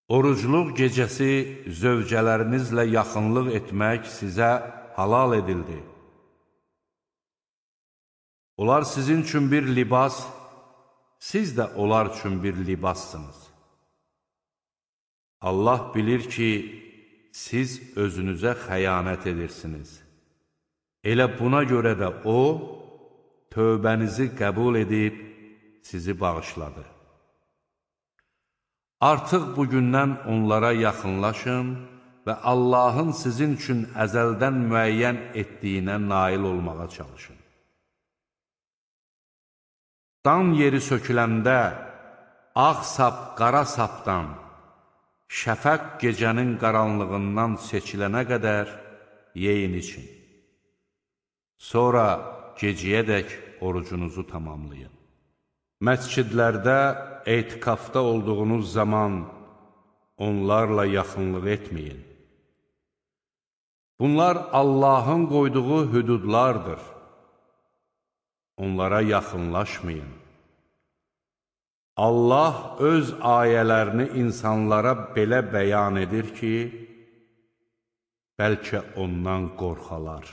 Orucluq gecəsi zövcələrinizlə yaxınlıq etmək sizə halal edildi. Onlar sizin üçün bir libas, siz də onlar üçün bir libassınız. Allah bilir ki, siz özünüzə xəyanət edirsiniz. Elə buna görə də O, tövbənizi qəbul edib, sizi bağışladı. Artıq bugündən onlara yaxınlaşın və Allahın sizin üçün əzəldən müəyyən etdiyinə nail olmağa çalışın. Dan yeri söküləndə ağ sap qara sapdan, şəfəq gecənin qaranlığından seçilənə qədər yeyin için. Sonra gecəyədək orucunuzu tamamlayın. Məscidlərdə etikafda olduğunuz zaman onlarla yaxınlıq etməyin. Bunlar Allahın qoyduğu hüdudlardır. Onlara yaxınlaşmayın. Allah öz ayələrini insanlara belə bəyan edir ki, bəlkə ondan qorxalar.